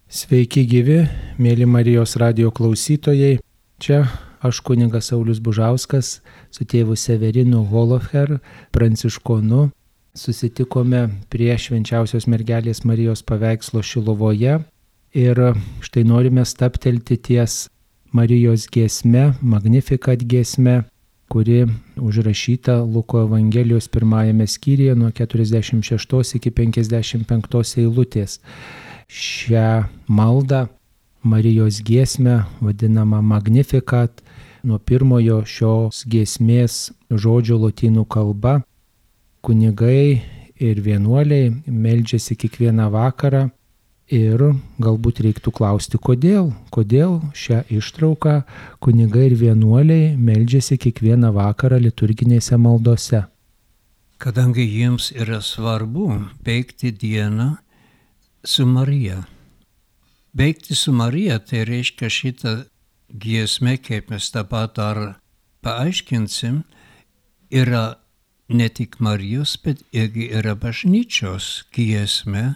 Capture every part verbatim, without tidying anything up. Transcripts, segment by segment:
Sveiki gyvi, mėly Marijos radijo klausytojai. Čia aš kunigas Saulius Bužauskas su tėvu Severinu Holofer, pranciškonu. Susitikome prie švenčiausios mergelės Marijos paveikslo Šiluvoje ir štai norime stabtelti ties Marijos giesme, Magnificat giesme, kuri užrašyta Luko Evangelijos pirmajame skyriuje nuo keturiasdešimt šeštos iki penkiasdešimt penktos eilutės. Šią maldą, Marijos giesmę, vadinamą Magnificat, nuo pirmojo šios giesmės žodžio lotynų kalba, kunigai ir vienuoliai meldžiasi kiekvieną vakarą ir galbūt reiktų klausti, kodėl, kodėl šią ištrauką kunigai ir vienuoliai meldžiasi kiekvieną vakarą liturginėse maldose. Kadangi jiems yra svarbu baigti dieną su Marija. Baigti su Marija, tai reiškia šitą giesmę, kaip mes dabar dar paaiškinsim, yra ne tik Marijos, bet irgi yra bažnyčios giesmė.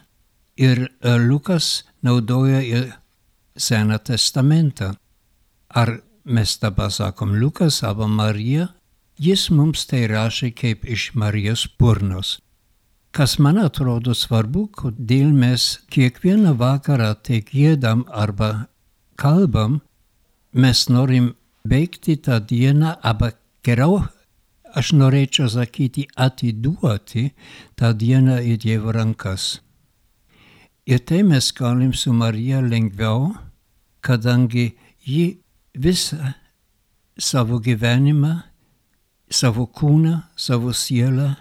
Ir Lukas naudoja ir Seną testamentą. Ar mes dabar sakom Lukas arba Marija, jis mums tai rašė kaip iš Marijos burnos. Kas man atrodo svarbu, kodėl mes kiekvieną vakarą tai giedam arba kalbam, mes norim baigti tą dieną, arba geriau, aš norėčiau sakyti, atiduoti tą dieną į Dievo rankas. Ir tai mes galim su Marija lengviau, kadangi ji visą savo gyvenimą, savo kūną, savo sielą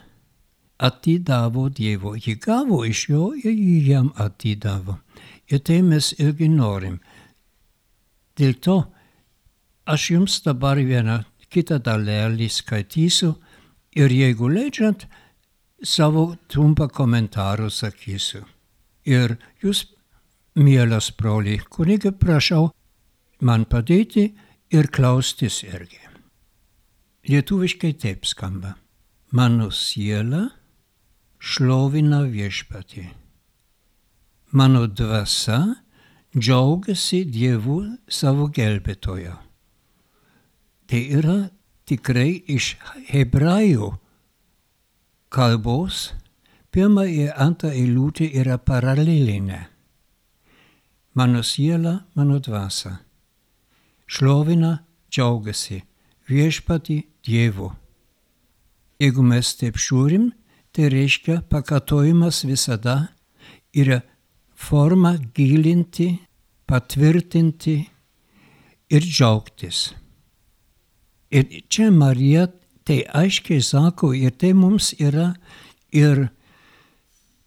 atidavo Dievo. Ji gavo iš jo ir ji jam atidavo. Ir tai mes irgi norim. Dėl to aš jums dabar vieną kitą dalelį skaitysiu ir jeigu leidžiant, savo trumpą komentarą sakysiu. Ir jūs, mielas broli, kunige, prašau man padėti ir klaustis irgi. Lietuviškai taip skamba. Mano siela šlovina viešpatį. Mano dvasia džiaugiasi Dievu savo gelbėtojo. Tai yra tikrai iš hebrajų kalbos. Pirma ir antra eilutė yra paralelinė. Mano siela, mano dvasia šlovina, džiaugiasi viešpatį Dievu. Jeigu mes taip žiūrim, tai reiškia pakartojimas visada yra forma gilinti, patvirtinti ir džiaugtis. Ir čia Marija tai aiškiai sako, ir tai mums yra ir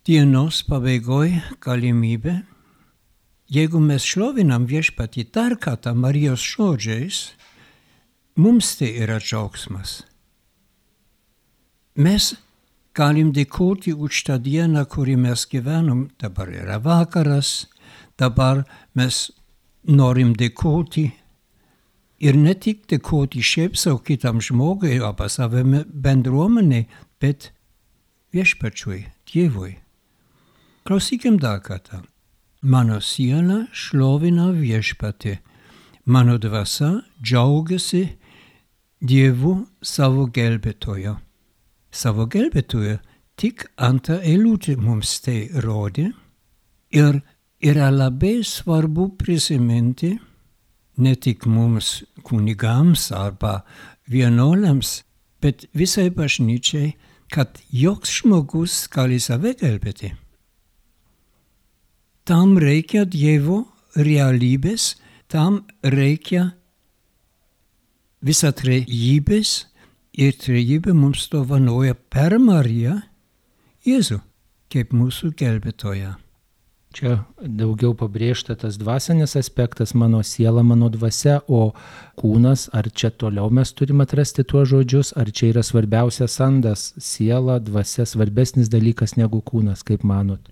dienos pabaigoj galimybė. Jeigu mes šlovinam viešpatį dar kartą Marijos žodžiais, mums tai yra džiaugsmas. Mes galim dėkoti už tą dieną, kurį mes gyvenom. Dabar yra vakaras, dabar mes norim dėkoti. Ir ne tik dėkoti šiaip savo kitam žmogui arba savo bendruomeniai, bet viešpačiui, Dievui. Klausykim dar kartą. Mano siela šlovina viešpatį. Mano dvasia džiaugiasi Dievu savo gelbėtojo. Savo gelbėtojo tik antrą eilutę mums tai rodė. Ir yra labai svarbu prisiminti, ne tik mums kunigams arba vienuoliams, bet visai bažnyčiai, kad joks žmogus gali save gelbėti. Tam reikia Dievo realybės, tam reikia visatrejybės, ir trejybė mums dovanoja per Mariją Jėzų, kaip mūsų gelbėtoją. Čia daugiau pabrėžta tas dvasinis aspektas, mano siela, mano dvasia, o kūnas, ar čia toliau mes turime atrasti tuos žodžius, ar čia yra svarbiausias sandas, siela, dvasia, svarbesnis dalykas negu kūnas, kaip manot?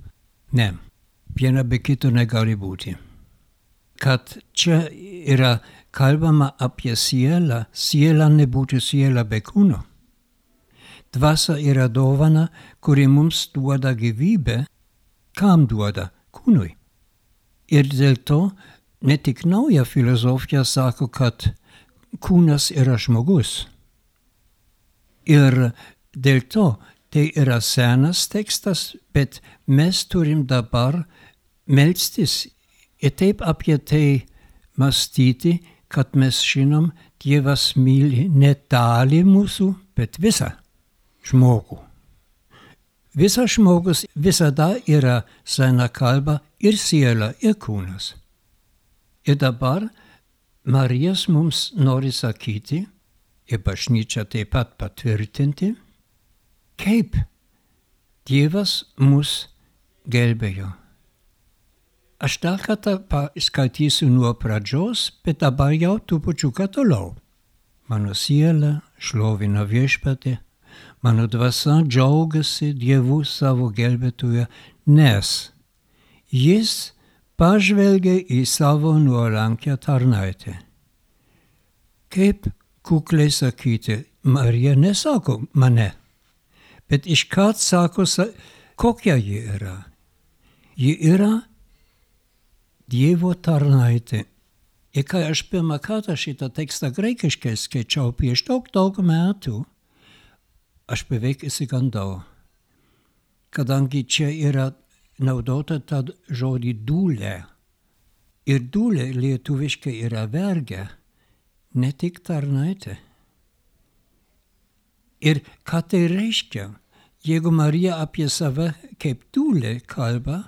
Ne, viena be kito negali būti. Kad čia yra kalbama apie sielą, siela nebūtų siela be kūno. Dvasia yra dovana, kuri mums duoda gyvybę. Kam duoda? Kūnui. Ir dėl to ne tik nauja filosofija sako, kad kūnas yra žmogus. Ir dėl to tai yra senas tekstas, bet mes turim dabar melstis ir taip apie tai mąstyti, kad mes žinom, Dievas myli ne dalį mūsų, bet visą žmogų. Visas žmogus visada yra sena kalba ir siela, ir kūnas. Ir dabar Marijas mums nori sakyti, ir bažnyčia taip pat patvirtinti, kaip Dievas mus gelbėjo. Aš dar kartą paskaitysiu nuo pradžios, bet dabar jau trupučiuką toliau. Mano siela šlovina Viešpatį, mano dvasia džiaugiasi Dievu savo gelbėtoju, nes jis pažvelgia į savo nuolankią tarnaitę. Kaip kukliai sakyti, Marija nesako mane, bet iškart sako, kokia ji yra. Ji yra Dievo tarnaitė. Ir kai aš pirmą kartą šitą tekstą graikiškai skaičiau prieš daug, daug metų, aš beveik įsigandau, kadangi čia yra naudota tą žodį dūlė. Ir dūlė lietuviškai yra vergė, ne tik tarnaitė. Ir ką tai reiškia? Jeigu Marija apie save kaip dūlė kalba,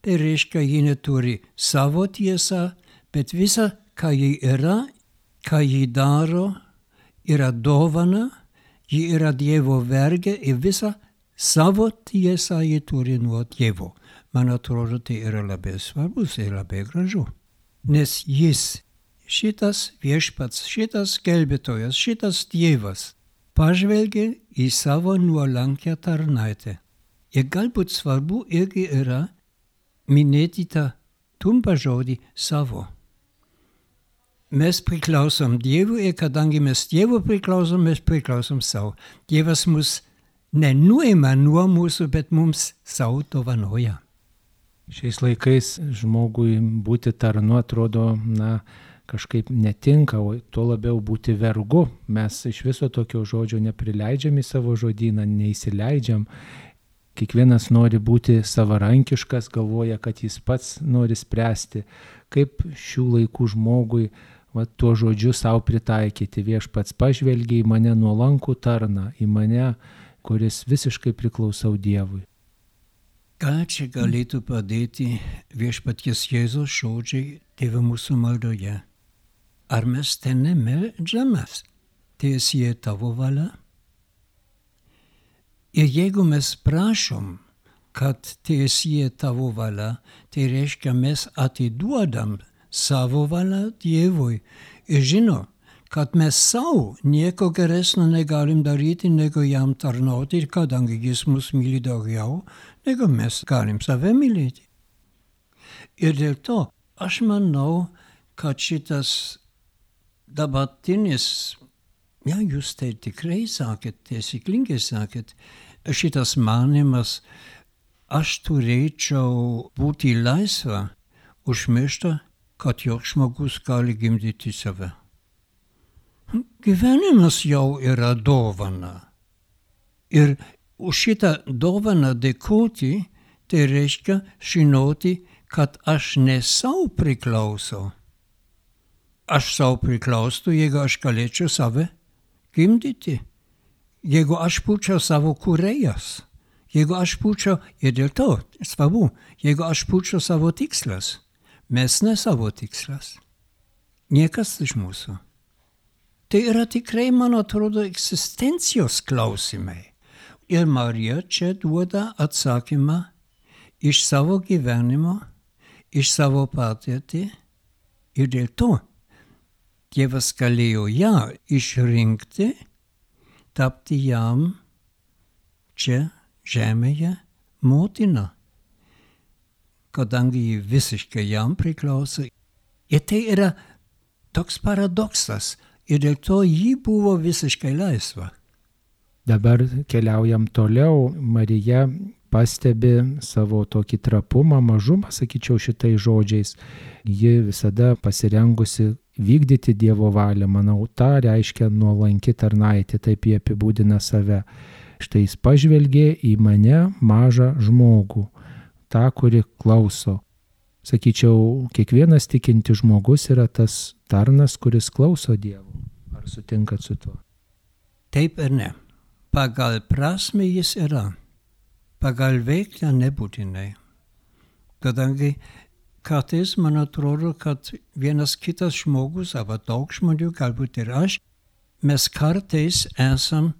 tai reiškia, ji neturi savo tiesą, bet visa, ką ji yra, ką ji daro, yra dovana, ji yra Dievo vergė ir visa savo tiesą ji turi nuo Dievo. Man atrodo, tai yra labai svarbus ir labai gražu. Nes jis, šitas Viešpats, šitas gelbėtojas, šitas Dievas, pažvelgia į savo nuolankią tarnaitę. Ir galbūt svarbu irgi yra minėti tą trumpą žodį savo. Mes priklausom Dievui ir kadangi mes Dievu priklausom, mes priklausom savo. Dievas mus nenuima nuo mūsų, bet mums savo dovanoja. Šiais laikais žmogui būti tarnu atrodo, na, kažkaip netinka, o tuo labiau būti vergu. Mes iš viso tokio žodžio neprileidžiam į savo žodyną, neįsileidžiam. Kiekvienas nori būti savarankiškas, galvoja, kad jis pats nori spręsti, kaip šių laikų žmogui va, tuo žodžiu savo pritaikyti. Viešpats pažvelgia į mane nuolankų tarną, į mane, kuris visiškai priklausau Dievui. Ką čia galėtų padėti Viešpaties Jėzaus žodžiai Tėve mūsų maldoje? Ar mes ten nemeldžiamės? Teesie tavo valia? Ir jeigu mes prašom, kad teesie tavo valia, tai reiškia mes atiduodam savo valią Dievui. Ir žino, kad mes savo nieko geresnio negalim daryti, negu jam tarnauti, ir kadangi jis mus myli daugiau, negu mes galim save mylėti. Ir dėl to aš manau, kad šitas dabartinis, ja, jūs tai tikrai sakėt, taisyklingai sakėt, šitas manimas, aš turėčiau būti laisva, užmiršta, kad joks žmogus gali gimdyti save. Gyvenimas jau yra dovana. Ir už šitą dovaną dėkoti, tai reiškia žinoti, kad aš ne savo priklausau. Aš savo priklausau, jeigu aš galėčiau save gimdyti. Jeigu aš būčiau savo kūrėjas, jeigu aš būčiau, ir dėl to, svarbu, jeigu aš būčiau savo tikslas, mes ne savo tikslas, niekas iš mūsų. Tai yra tikrai, man atrodo, egzistencijos klausimai. Ir Marija čia duoda atsakymą iš savo gyvenimo, iš savo patirtį, ir dėl to Dievas galėjo ją išrinkti, tapti jam čia žemėje motina, kadangi ji visiškai jam priklauso. Ir tai yra toks paradoksas, ir dėl to ji buvo visiškai laisva. Dabar keliaujam toliau. Marija pastebi savo tokį trapumą, mažumą, sakyčiau, šitais žodžiais, ji visada pasirengusi vykdyti Dievo valią. Manau, tą reiškia nuolanki tarnaitė, taip jie apibūdina save. Štai jis pažvelgė į mane, mažą žmogų, tą, kuri klauso. Sakyčiau, kiekvienas tikintis žmogus yra tas tarnas, kuris klauso Dievo. Ar sutinkat su tuo? Taip ir ne. Pagal prasme jis yra. Pagal veiklą nebūtinai. Kadangi kartais man atrodo, kad vienas kitas žmogus, arba daug žmonių, galbūt ir aš, mes kartais esam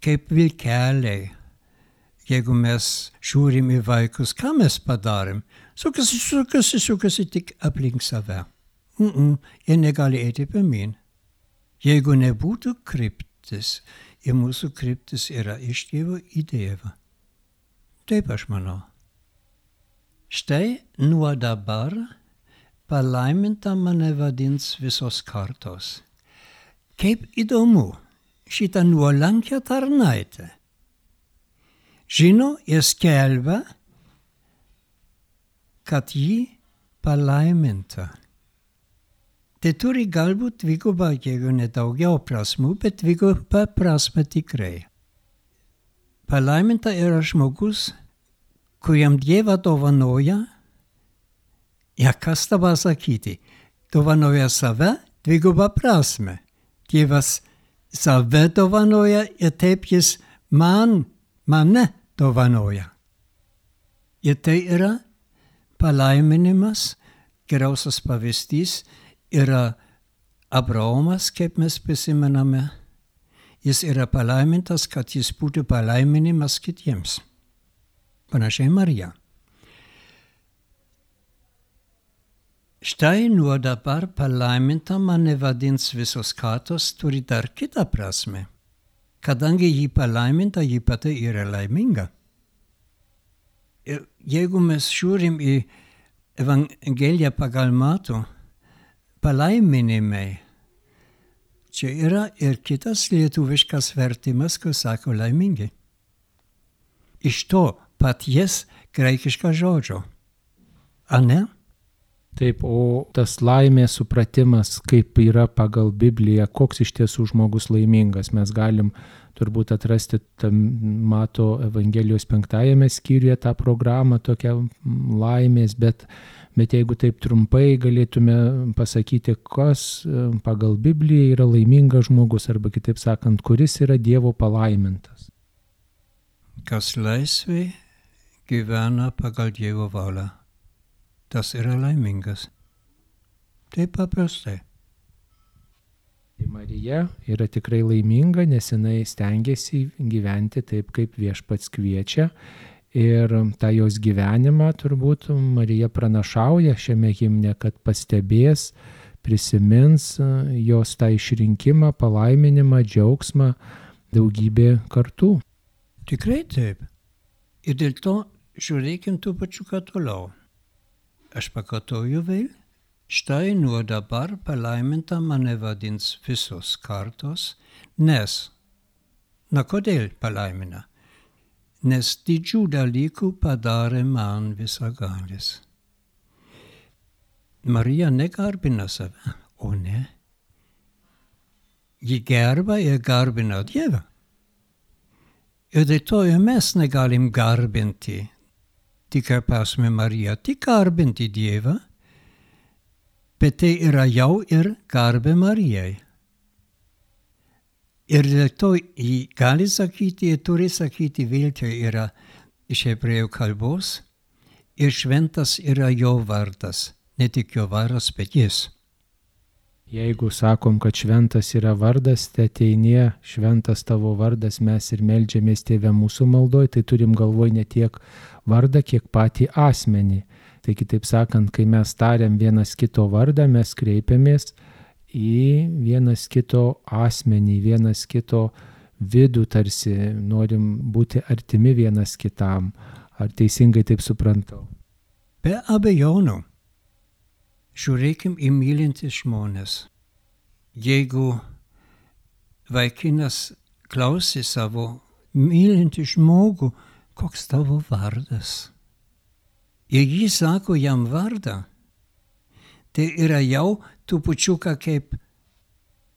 kaip vilkeliai. Jeigu mes žiūrim į vaikus, ką mes padarėm? Sukasi, sukasi, sukasi tik aplink save. Mm-mm, jie negali eiti pirmyn. Jeigu nebūtų kryptis, ir mūsų kryptis yra iš Dievo į Dievą. Taip aš manau. Štai nuo dabar palaiminta mane vadins visos kartos. Kaip įdomu šitą nuolankią tarnaitę. Žino ir skelbia, kad ji palaiminta. Tai turi galbūt dvigubą, jeigu ne daugiau prasmų, bet dvigubą prasmę tikrai. Palaiminta yra žmogus, kuriam Dievą dovanoja, ja kas dabar sakyti, dovanoja save dvigubą prasmę. Dievas save dovanoja ir taip jis man, mane dovanoja. Ir tai yra palaiminimas, geriausias pavyzdys yra Abraomas, kaip mes prisimename. Jis yra palaimintas, kad jis būtų palaiminimas kitiems. Panašiai Marija. Štai nuo dabar palaiminta mane vadins visos kartos turi dar kitą prasme. Kadangi ji palaiminta, ji pati yra laiminga. Ir jeigu mes žiūrim į Evangeliją pagal Matų, palaiminimai, čia yra ir kitas lietuviškas vertimas, kur sako laimingi. Iš to paties graikiško žodžio. Ar ne? Taip, o tas laimės supratimas, kaip yra pagal Bibliją, koks iš tiesų žmogus laimingas, mes galim turbūt atrasti tam Mato Evangelijos penktajame skyriuje tą programą, tokią laimės, bet, bet jeigu taip trumpai galėtume pasakyti, kas pagal Bibliją yra laimingas žmogus, arba kitaip sakant, kuris yra Dievo palaimintas. Kas laisvai gyvena pagal Dievo valią, tas yra laimingas. Taip paprastai. Marija yra tikrai laiminga, nes jinai stengiasi gyventi taip, kaip Viešpats kviečia. Ir tą jos gyvenimą turbūt Marija pranašauja šiame himne, kad pastebės, prisimins jos tą išrinkimą, palaiminimą, džiaugsmą daugybė kartų. Tikrai taip. Ir dėl to žiūrėkim tų pačių ką toliau. Aš pakartoju vėl. Štai nuo dabar palaiminta mane vadins visos kartos, nes, na kodėl palaimina? Nes didžių dalykų padarė man visagalis. Marija negarbina save, o ne? Ji gerba ir garbina Dievą. Ir dėl to ir mes negalim garbinti, tik ar prasme Marija, tik garbinti Dievą, bet tai yra jau ir garbė Marijai. Ir dėl to jį gali sakyti ir turi sakyti vėl, tai yra iš hebrėjų kalbos, ir šventas yra jo vardas, ne tik jo vardas, bet jis. Jeigu sakom, kad šventas yra vardas, tai ateinie šventas tavo vardas, mes ir meldžiamės Tėve mūsų maldoj, tai turim galvoj ne tiek vardą, kiek patį asmenį. Tai kitaip sakant, kai mes tariam vienas kito vardą, mes kreipiamės į vienas kito asmenį, vienas kito vidų, tarsi norim būti artimi vienas kitam. Ar teisingai taip suprantau? Be abejonių. Žiūrėkim į mylintis žmonės. Jeigu vaikinas klausė savo mylintį žmogų, koks tavo vardas. Ir ji sako jam vardą. Tai yra jau trupučiuką kaip,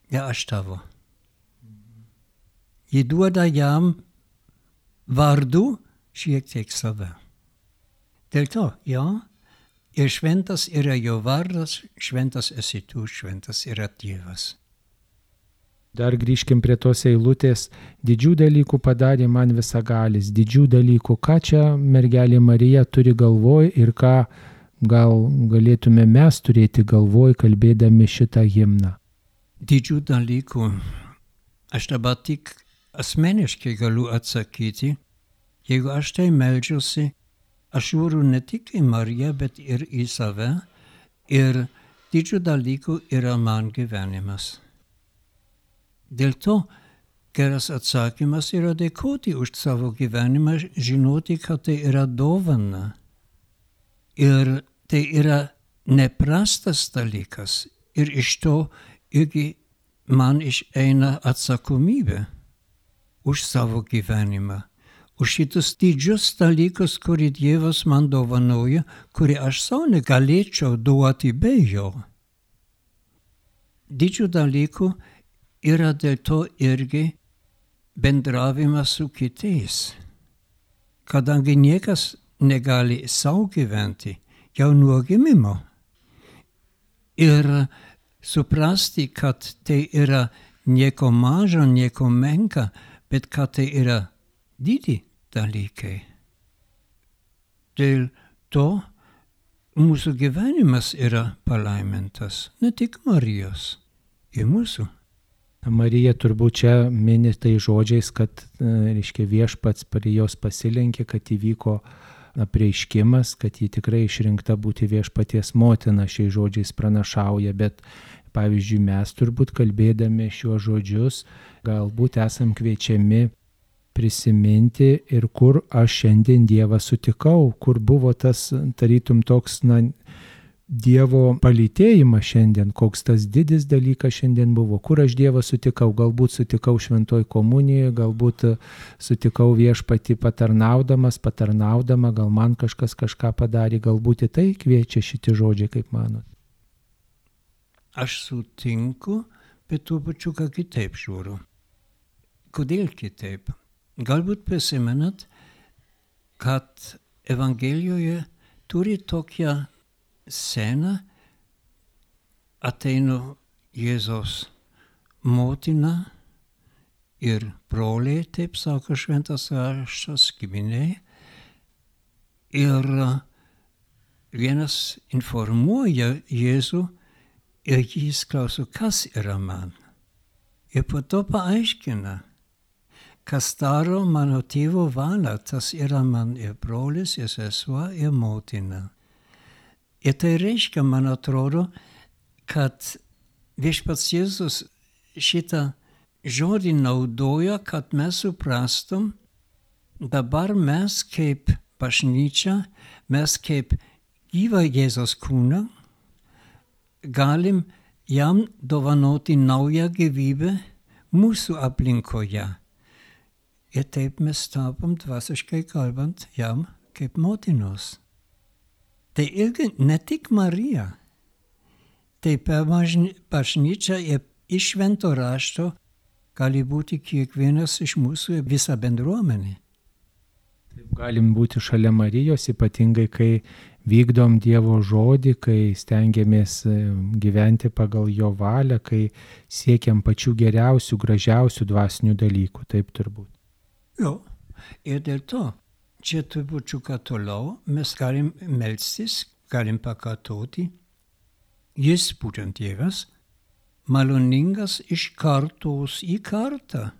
ja, aš tavo. Ji duoda jam vardu šiek tiek save. Dėl to, ja, ir šventas yra jo vardas, šventas esi tu, šventas yra Dievas. Dar grįžkim prie tos eilutės. Didžių dalykų padarė man visagalis. Didžių dalykų. Ką čia mergelė Marija turi galvoj ir ką gal galėtume mes turėti galvoj, kalbėdami šitą himną? Didžių dalykų. Aš dabar tik asmeniškai galiu atsakyti. Jeigu aš tai meldžiuosi, aš žiūriu ne tik į Mariją, bet ir į save. Ir didžių dalykų yra man gyvenimas. Dėl to geras atsakymas yra dėkoti už savo gyvenimą, žinoti, kad tai yra dovana. Ir tai yra neprastas dalykas. Ir iš to irgi man išeina atsakomybė už savo gyvenimą. Už šitus didžius dalykus, kurį Dievas man dovanoja, kurį aš savo negalėčiau duoti be jo. Didžių dalykų yra dėl to irgi bendravimas su kitais. Kadangi niekas negali sau gyventi, jau nuo gimimo. Ir suprasti, kad tai yra nieko mažo, nieko menka, bet kad tai yra didi dalykai. Dėl to mūsų gyvenimas yra palaimintas, ne tik Marijos, ir mūsų. Marija turbūt čia mini tai žodžiais, kad, reiškia, viešpats prie jos pasilenkė, kad įvyko apreiškimas, kad ji tikrai išrinkta būti viešpaties motina, šiais žodžiais pranašauja, bet pavyzdžiui mes turbūt kalbėdami šiuos žodžius galbūt esam kviečiami prisiminti ir kur aš šiandien Dievą sutikau, kur buvo tas tarytum toks, na, Dievo palytėjimas šiandien, koks tas didis dalykas šiandien buvo, kur aš Dievą sutikau, galbūt sutikau šventoj komunijoje, galbūt sutikau viešpatį patarnaudamas, patarnaudama, gal man kažkas kažką padarė, galbūt į tai kviečia šitie žodžiai, kaip manot. Aš sutinku, bet tuo pačiu ką kitaip žiūriu. Kodėl kitaip? Galbūt prisimenat, kad Evangelijoje turi tokią sceną, ateina Jėzaus motina ir broliai, taip sako šventas raštas, giminiai. Ir vienas informuoja Jėzų ir jis klauso, kas yra man. Ir po to paaiškina, kas daro mano tėvo valią, tas yra man ir brolis, ir sesuo, ir motina. Ir tai reiškia, man atrodo, kad viešpats Jėzus šitą žodį naudoja, kad mes suprastum, dabar mes kaip bažnyčia, mes kaip gyvą Jėzaus kūną, galim jam dovanoti naują gyvybę mūsų aplinkoje. Ir taip mes tapom dvasiškai kalbant jam kaip motinos. Tai irgi ne tik Marija, tai per bažnyčią ir iš švento rašto gali būti kiekvienas iš mūsų visa bendruomenė. Galim būti šalia Marijos, ypatingai kai vykdom Dievo žodį, kai stengiamės gyventi pagal jo valią, kai siekiam pačių geriausių, gražiausių dvasinių dalykų, taip turbūt. Jo, ir dėl to. Čia trupučiuką toliau mes galim melstis, galim pakartoti. Jis, būtent Dievas, maloningas iš kartos į kartą.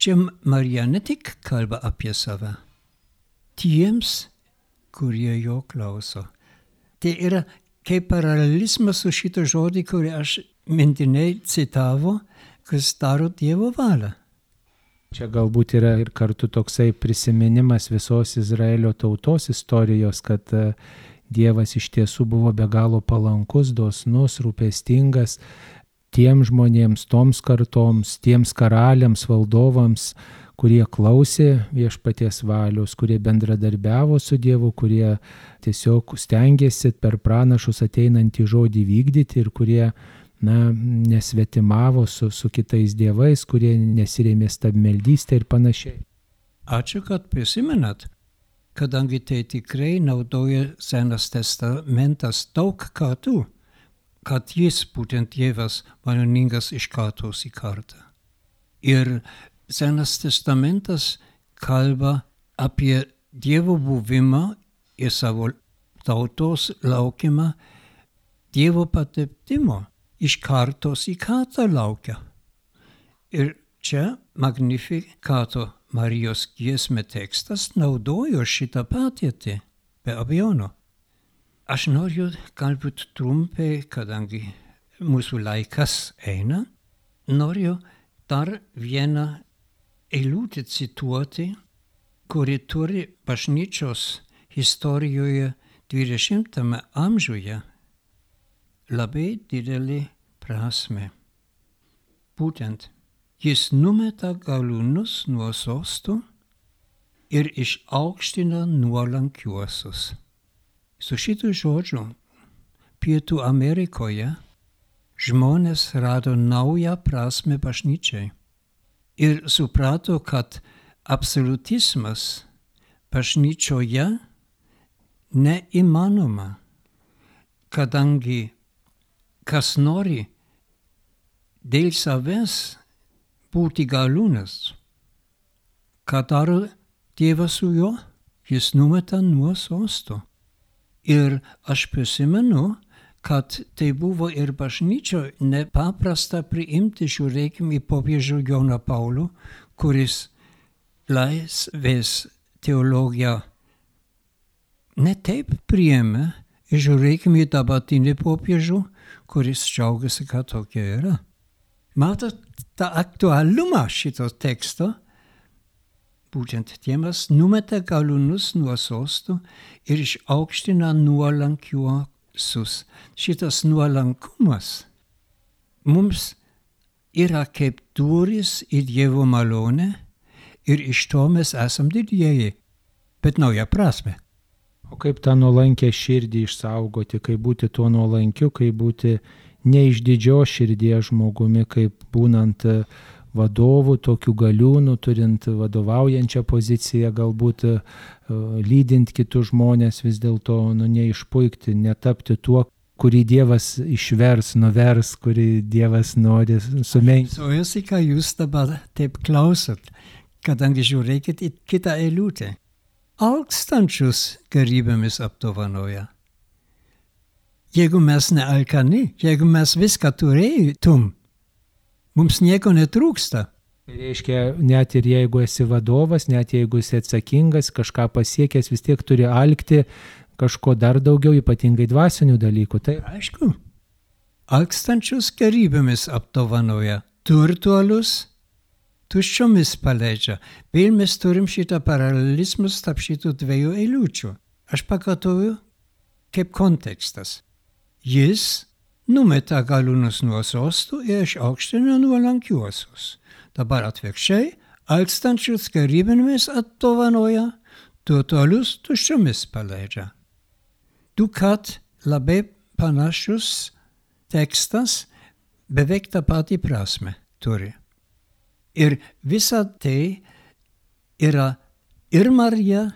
Čia Marija ne tik kalba apie save, tiems, kurie jo klauso. Tai yra kaip paralelizmas su šito žodį, kurį aš mintinai citavo, kas daro Dievo valią. Čia galbūt yra ir kartu toksai prisiminimas visos Izraelio tautos istorijos, kad Dievas iš tiesų buvo be galo palankus, dosnus, rūpestingas tiems žmonėms, toms kartoms, tiems karaliams, valdovams, kurie klausė viešpaties valios, kurie bendradarbiavo su Dievu, kurie tiesiog stengiasi per pranašus ateinantį žodį vykdyti ir kurie na, nesvetimavo su, su kitais dievais, kurie nesirėmė stabmeldystę ir panašiai. Ačiū, kad prisimenat, kadangi tai tikrai naudoja Senas testamentas daug kartų, kad jis, būtent Dievas, maloningas iš kartos į kartą. Ir Senas testamentas kalba apie Dievo buvimą ir savo tautos laukimą, Dievo patepimo iš kartos į kartą laukia. Ir čia Magnificato Marijos giesmė tekstas naudojo šitą patirtį, be abejonų. Aš noriu galbūt trumpai, kadangi mūsų laikas eina, noriu dar vieną eilutę cituoti, kuri turi bažnyčios istorijoje dvidešimtame amžiuje labai didelį prasmę. Būtent, jis numeta galūnus nuo sostų ir išaukština nuolankiuosius. Su šitų žodžių Pietų Amerikoje žmonės rado naują prasmę bažnyčiai ir suprato, kad absolutizmas bažnyčioje neįmanoma, kadangi kas nori dėl savęs būti galūnas, ką daro Dievas su juo, jis numeta nuo sostų. Ir aš prisimenu, kad tai buvo ir bažnyčio nepaprasta priimti, žiūrėkim į popiežių Joną Paulių, kuris laisvės teologiją ne taip priėmė, ir žiūrėkim į dabartinį popiežių, kuris džiaugiasi, kad tokia yra. Matot tą aktualumą šito teksto, būtent Dievas numeta galūnus nuo sostų ir išaukština nuolankiuosius. Šitas nuolankumas mums yra kaip durys į Dievo malonę ir iš to mes esam didieji, bet nauja prasme. O kaip tą nuolankę širdį išsaugoti, kaip būti tuo nuolankiu, kaip būti neišdidžios širdies žmogumi, kaip būnant vadovų, tokių galiūnų, turint vadovaujančią poziciją, galbūt lydint kitus žmonės, vis dėlto nu, neišpuikti, netapti tuo, kurį Dievas išvers, nuvers, kurį Dievas nori sumenkinti. Suojusi, ką jūs dabar taip klausot, kadangi žiūrėkit į kitą eilutę. Alkstančius gerybėmis apdovanoja. Jeigu mes nealkani, jeigu mes viską turėtum, mums nieko netrūksta. Tai reiškia, net ir jeigu esi vadovas, net jeigu esi atsakingas, kažką pasiekęs, vis tiek turi alkti kažko dar daugiau, ypatingai dvasinių dalykų. Tai aišku, alkstančius gerybėmis apdovanoja, turtuolius tuščiomis paleidžia. Vėl mes turim šitą paralelizmus tarp šitų dviejų eilučių. Aš pakartoju kaip kontekstas. Jis numeta galūnus nuo sostų ir išaukština nuolankiuosius. Dabar atvirkščiai, alkstančius gerybėmis apdovanoja, turtuolius tuščiomis paleidžia. Dukart labai panašus tekstas, beveik tą patį prasme turi. Ir visa tai yra ir Marija,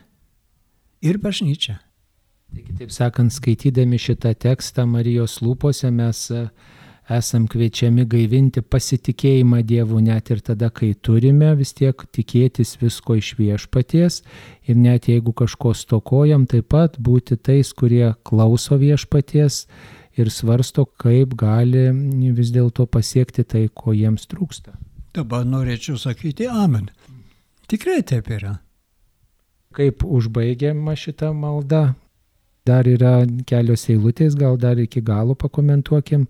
ir bažnyčia. Taigi, taip sakant, skaitydami šitą tekstą Marijos lūpose mes esam kviečiami gaivinti pasitikėjimą Dievu net ir tada, kai turime vis tiek tikėtis visko iš viešpaties ir net jeigu kažko stokojam, taip pat būti tais, kurie klauso viešpaties ir svarsto, kaip gali vis dėlto pasiekti tai, ko jiems trūksta. Dabar norėčiau sakyti amen. Tikrai taip yra. Kaip užbaigiama šitą maldą? Dar yra kelios eilutės, gal dar iki galo pakomentuokim.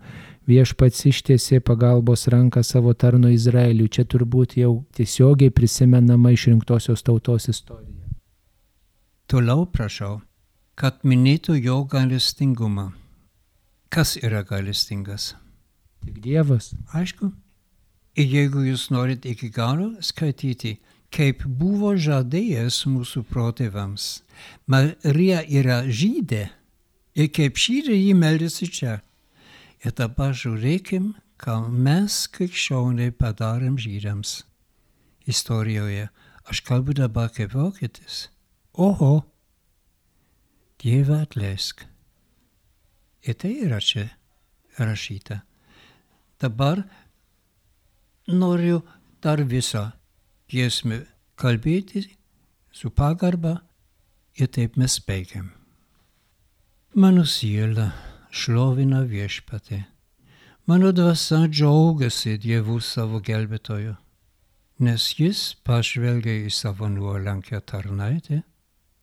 Viešpats ištiesė pagalbos ranką savo tarno Izraeliui. Čia turbūt jau tiesiogiai prisimenama išrinktosios tautos istorija. Toliau prašau, kad minėtų jo gailestingumą. Kas yra gailestingas? Tik Dievas. Aišku. Ir jeigu jūs norit iki galo skaityti, kaip buvo žadėjęs mūsų protėvams, Marija yra žydė ir kaip žydė jį meldėsi čia. Ir dabar žiūrėkim, ką mes krikščioniai padarėm žydams istorijoje. Aš kalbu dabar kaip vokietis. Oho, Dieve atleisk. Ir tai yra čia rašyta. Dabar noriu dar visą giesmę kalbėti su pagarba ir taip mes baigiam. Mano siela šlovina viešpatį. Mano dvasia džiaugiasi Dievu savo gelbėtoju, nes jis pažvelgia į savo nuolankią tarnaitę.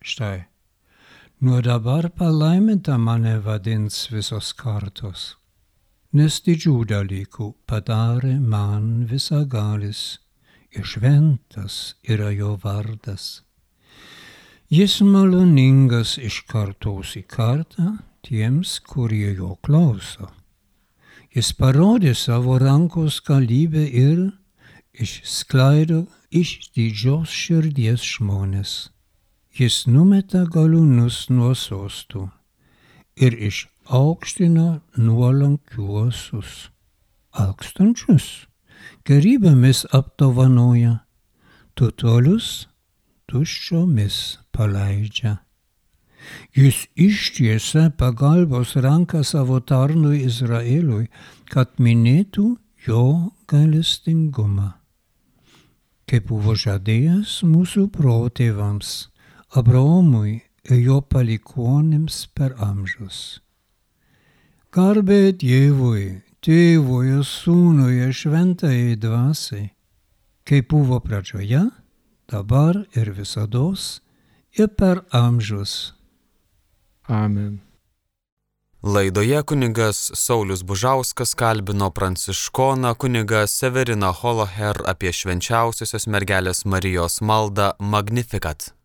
Štai, nuo dabar palaiminta mane vadins visos kartos, nes didžių dalykų padarė man visagalis ir šventas yra jo vardas. Jis maloningas iš kartos į kartą tiems, kurie jo klauso. Jis parodė savo rankos galybę ir išskleido iš didžios širdies žmonės. Jis numeta galūnus nuo sostų ir išaukštino nuolankiuosius. Alkstančius gerybėmis apdovanoja, turtuolius tuščiomis paleidžia. Jis ištiesia pagalbos ranką savo tarnui Izraeliui, kad minėtų jo gailestingumą. Kaip buvo žadėjęs mūsų protėvams, Abraomui ir jo palikuonims per amžius. Garbė Dievui, Tėvui ir Sūnui ir Šventajai Dvasiai, kaip buvo pradžioje, dabar ir visados, ir per amžius. Amen. Laidoje kunigas Saulius Bužauskas kalbino pranciškoną kunigą Severiną Holoher apie švenčiausiosios mergelės Marijos maldą Magnificat.